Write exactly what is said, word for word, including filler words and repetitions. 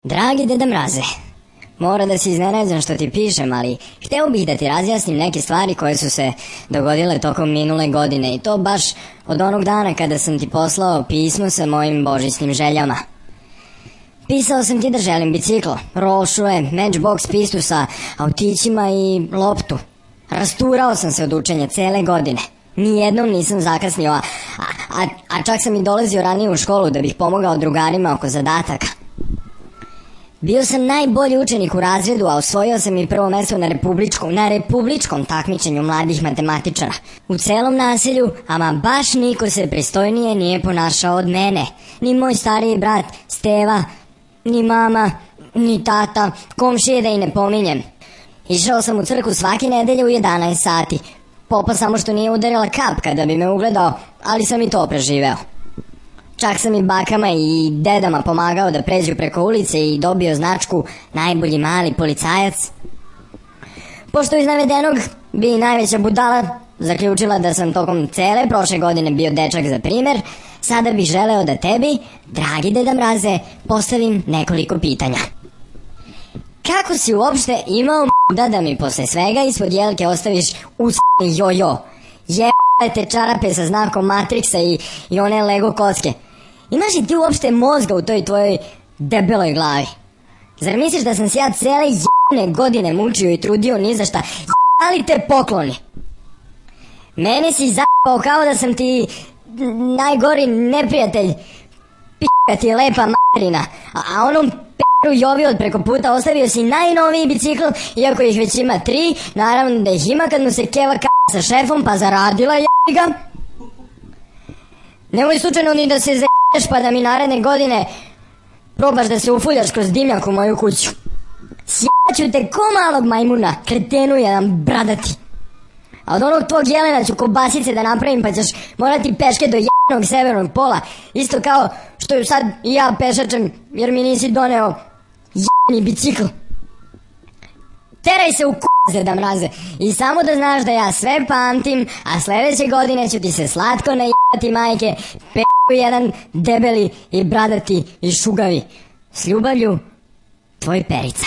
Dragi Deda Mraze, mora da si iznenađen što ti pišem, ali hteo bih da ti razjasnim neke stvari koje su se dogodile tokom minule godine i to baš od onog dana kada sam ti poslao pismo sa mojim božićnim željama. Pisao sam ti da želim bicikl, rošuje, matchbox pistu sa autićima i loptu. Rasturao sam se od učenja cele godine. Nijednom nisam zakasnio, a, a, a čak sam i dolazio ranije u školu da bih pomogao drugarima oko zadataka. Bio sam najbolji učenik u razredu, a osvojio sam i prvo mesto na republičkom, na republičkom takmičenju mladih matematičara. U celom naselju, ama baš niko se pristojnije nije ponašao od mene. Ni moj stariji brat Steva, ni mama, ni tata, komšije da i ne pominjem. Išao sam u crkvu svake nedelje u jedanaest sati. Popa samo što nije udarila kap kada bi me ugledao, ali sam i to preživeo. Čak sam i bakama i dedama pomagao da pređu preko ulice i dobio značku najbolji mali policajac. Pošto iz navedenog bi i najveća budala zaključila da sam tokom cele prošle godine bio dečak za primer, sada bih želeo da tebi, dragi Deda Mraze, postavim nekoliko pitanja. Kako si uopšte imao da da mi posle svega ispod jelke ostaviš usni jojo? Jebate čarape sa znakom Matrixa i, i one Lego kocke. Imaš li ti uopšte mozga u toj tvojoj debeloj glavi? Zar misliš da sam se ja cele jebne godine mučio i trudio ni za šta? Jebali te pokloni. Mene si zapao kao da sam ti najgori neprijatelj. P***a ti je lepa materina. A, a onom p***u Jovi od preko puta ostavio si najnoviji bicikl, iako ih već ima tri. Naravno da ih ima kad mu se keva k***a sa šefom, pa zaradila jebi ga. Nemoj slučajno ni da se z***eš pa da mi naredne godine probaš da se ufuljaš kroz dimnjak u moju kuću. Sjeću te ko malog majmuna, kretenu jedan bradati. A od onog tvog jelena ću kobasice da napravim, pa ćeš morati peške do jebenog severnog pola. Isto kao što sad i ja pešačem jer mi nisi doneo jebeni bicikl. Teraj se u k***, Deda Mraze. I samo da znaš da ja sve pamtim, a sledeće godine ću ti se slatko najebati majke, p***u jedan debeli i bradati i šugavi. S ljubavlju, tvoj Perica.